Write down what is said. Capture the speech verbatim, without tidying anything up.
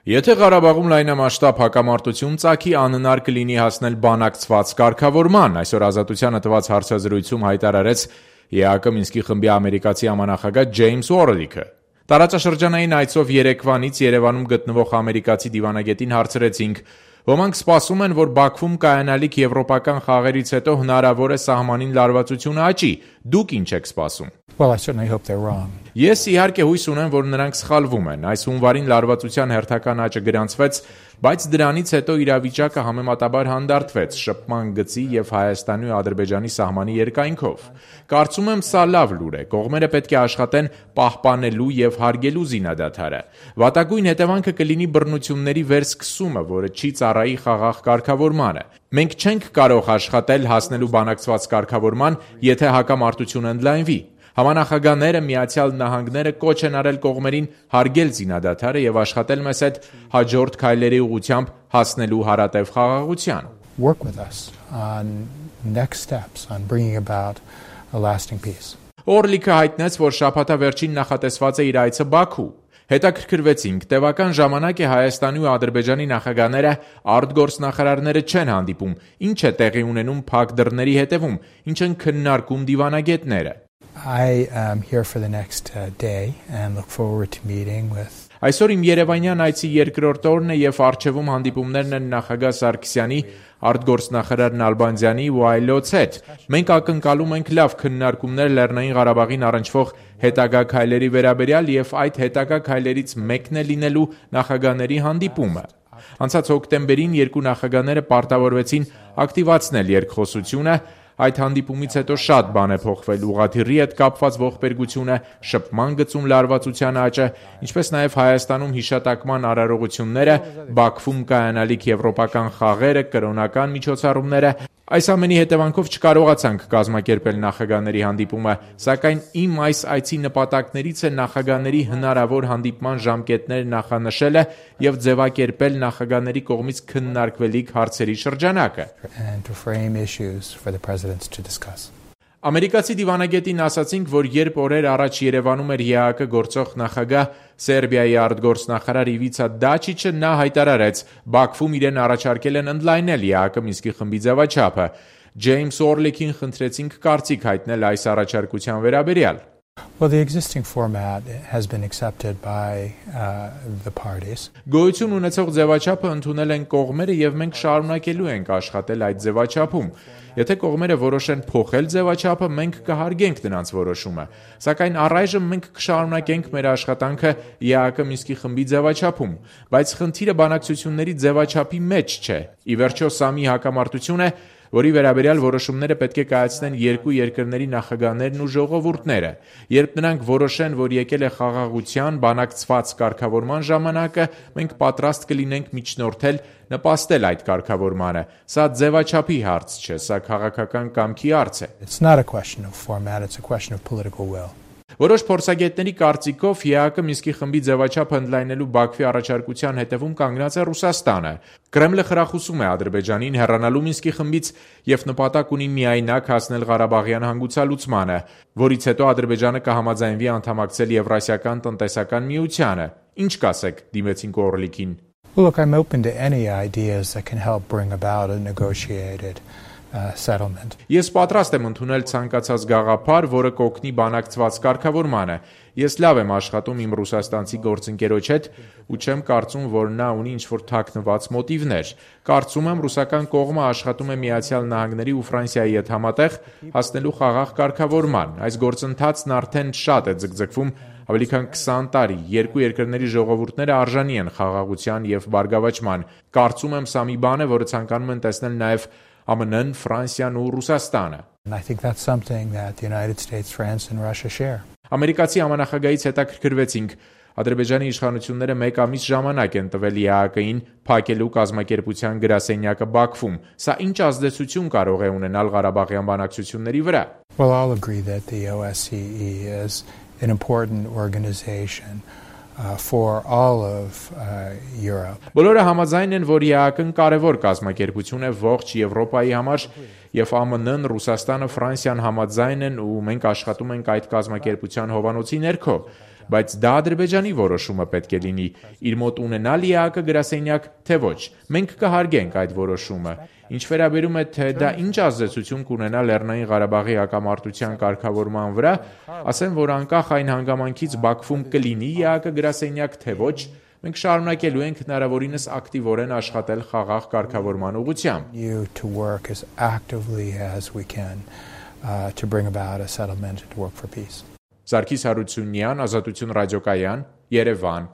Եթե Ղարաբաղում լայնամասշտաբ հակամարտություն ծագի, անհնար կլինի հասնել բանակցված կարգավորման, այսօր Ազատությանը տված հարցազրույցում հայտարարեց ԵԱՀԿ Մինսկի խմբի ամերիկացի համանախագահ Ջեյմս Օրլիքը։ Տարածաշրջանային այցով Երևանից Երևանում գտնվող ամերիկացի դիվանագետին հարցրեցինք. «Ոմանք սպասում են, որ Բաքվում կայանալիք եվրոպական խաղերից հետո հնարավոր է սահմանին լարվածությունը աճի, դուք ինչ եք սպասում»։ Well, I certainly hope they're wrong. Ես իհարկե հույս ունեմ, որ նրանք սխալվում են։ Այս հունվարին լարվածության հերթական աճը գրանցվեց, բայց դրանից հետո իրավիճակը համեմատաբար հանդարտվեց շփման գծի եւ Հայաստանի ու Ադրբեջանի սահմանի երկայնքով։ Կարծում եմ, սա լավ լուր է։ Կողմերը պետք է աշխատեն պահպանելու եւ հարգելու զինադադարը։ Վատագույն հետևանքը կլինի բռնությունների վերսկսումը, որը չի ծառայի խաղաղ կարգավորմանը։ Մենք չենք կարող աշխատել հասնելու բանակցված կարգավորման, եթե հակամարտությունը ընդլայնվի։ Համանախագահները Միացյալ Նահանգները կոչ են արել կողմերին հարգել զինադադարը եւ աշխատել մեզ հետ հաջորդ քայլերի ուղղությամբ հասնելու հարատև խաղաղության։ Work with us on next steps on bringing about a lasting peace. Օրլիքը հայտնեց, որ շաբաթավերջին նախատեսված է իր այցը Բաքու։ Հետաքրքրվեցինք, տևական ժամանակ է Հայաստանի ու Ադրբեջանի նախագահները արտգործնախարարները չեն հանդիպում, ինչ է տեղի ունենում փակ դռների հետևում, ինչ են քննարկում դիվանագետները։ I am here for the next uh, day and look forward to meeting with Այսօր իմ Երևանյան այցի երկրորդ օրն է եւ արժևում հանդիպումներն են նախագահ Սարգսյանի, արտգործնախարար Նալբանդյանի ու այլոց հետ։ Մենք ակնկալում ենք լավ քննարկումներ Լեռնային Ղարաբաղին առնչվող հետագա քայլերի վերաբերյալ եւ այդ հետագա քայլերից մեկն է լինելու նախագահների հանդիպումը։ Անցած հոկտեմբերին երկու նախագահները պարտավորվեցին ակտիվացնել երկխոսությունը։ Այդ հանդիպումից հետո շատ բան է փոխվել ուղղաթիռի հետ կապված ողբերգությունը, շփման գծում լարվածության աճը, ինչպես նաև Հայաստանում հիշատակման արարողությունները, Բաքվում կայանալիք եվրոպական խաղերը, կրոնական միջոցառումները։ Այս ամենի հետևանքով չկարողացանք կազմակերպել նախագահների հանդիպումը, սակայն իմ այս այցի նպատակներից է նախագահների հնարավոր հանդիպման ժամկետներ նախանշելը եւ ձևակերպել նախագահների կողմից քննարկվելիք հարցերի շրջանակը։ Ամերիկացի դիվանագետին ասացինք, որ երբ օրեր առաջ Երևանում էր ԵԱՀԿ գործող նախագահ Սերբիայի արտգործնախարար Իվիցա Դաչիչը, նա հայտարարեց, Բաքվում իրեն առաջարկել են ընդլայնել ԵԱՀԿ Մինսկի խմբի ձևաչափը։ Ջեյմս Օրլիքին խնդրեցինք կարծիք հայտնել այս առաջարկության վերաբերյալ։ Well, the existing format has been accepted by uh, the parties. Գոյություն ունեցող ձևաչափը ընդունել են կողմերը եւ մենք շարունակելու ենք աշխատել այդ ձևաչափում։ Եթե կողմերը որոշեն փոխել ձևաչափը, մենք կհարգենք նրանց որոշումը։ Սակայն առայժմ մենք կշարունակենք մեր աշխատանքը ԵԱՀԿ Մինսկի խմբի ձևաչափում, բայց խնդիրը բանակցությունների ձևաչափի մեջ չէ։ Ի վերջո սա մի հակամարտություն է, որի վերաբերյալ որոշումները պետք է կայացնեն երկու երկրների նախագահներն ու ժողովուրդները։ Երբ նրանք որոշեն, որ եկել է խաղաղության բանակցված կարգավորման ժամանակը, մենք պատրաստ կլինենք միջնորդել, նպաստել այդ կարգավորմանը։ Սա ձևաչափի հարց չէ, սա քաղաքական կամքի հարց է։ It's not a question of format, it's a question of political will. Որոշ փորձագետների կարծիքով ԵԱՀԿ Մինսկի խմբի ձևաչափը ընդլայնելու Բաքվի առաջարկության հետևում կանգնած է Ռուսաստանը։ Կրեմլը խրախուսում է Ադրբեջանին հեռանալու Մինսկի խմբից եւ նպատակ ունի միայնակ հասնել Ղարաբաղյան հանգուցալուծմանը, որից հետո Ադրբեջանը կհամաձայնվի անդամակցել Եվրասիական տնտեսական միությանը։ Ինչ կասեք, դիմեցինք Օրլիքին։ Well, look, I'm open to any ideas that can help bring about a negotiated Uh, settlement. Ես պատրաստ եմ ընդունել ցանկացած գաղափար, որը կօգնի բանակցված կարգավորմանը։ Ես լավ եմ աշխատում իմ ռուսաստանցի գործընկերոջ հետ ու չեմ կարծում, որ նա ունի ինչ-որ թաքնված մոտիվներ։ Կարծում եմ, ռուսական կողմը աշխատում է Միացյալ Նահանգների ու Ֆրանսիայի հետ համատեղ հասնելու խաղաղ կարգավորման։ Այս գործընթացն արդեն շատ է ձգձգվում, ավելի քան քսան տարի։ Երկու երկրների ժողովուրդները արժանի են խաղաղության եւ բարգավաճման։ Կարծում եմ, սա մի բան է, որը ցանկանում են տեսնել նաեւ ԱՄՆ-ն, Ֆրանսիան ու Ռուսաստանը։ I think that's something that the United States, France and Russia share. Ամերիկացի համանախագահից հետաքրքրվեցինք, Ադրբեջանի իշխանությունները մեկ ամիս ժամանակ են տվել ԵԱՀԿ-ին փակելու կազմակերպության գրասենյակը Բաքվում։ Սա ինչ ազդեցություն կարող է ունենալ Ղարաբաղյան բանակցությունների վրա։ Well, I'll agree that the O S C E is an important organization Uh, for all of uh, Europe. Բոլորը համաձայն են, որ ԵԱՀԿ-ն կարևոր կազմակերպություն է ողջ Եվրոպայի համար, եւ ԱՄՆ-ն, Ռուսաստանը, Ֆրանսիան համաձայն են ու մենք աշխատում ենք այդ կազմակերպության հովանոցի ներքո։ բայց դա Ադրբեջանի որոշումը պետք է լինի, իր մոտ ունենալ ԵԱՀԿ գրասենյակ, թե ոչ։ Մենք կհարգենք այդ որոշումը։ Ինչ վերաբերում է, թե դա ինչ ազդեցություն կունենա Լեռնային Ղարաբաղի հակամարտության կարգավորման վրա, ասեմ, որ անկախ այն հանգամանքից Բաքվում կլինի ԵԱՀԿ գրասենյակ, թե ոչ, մենք շարունակելու ենք հնարավորինս ակտիվորեն աշխատել խաղաղ կարգավորման ուղղությամբ։ Սարգիս Հարությունյան, Ազատություն ռադիոկայան, Երևան։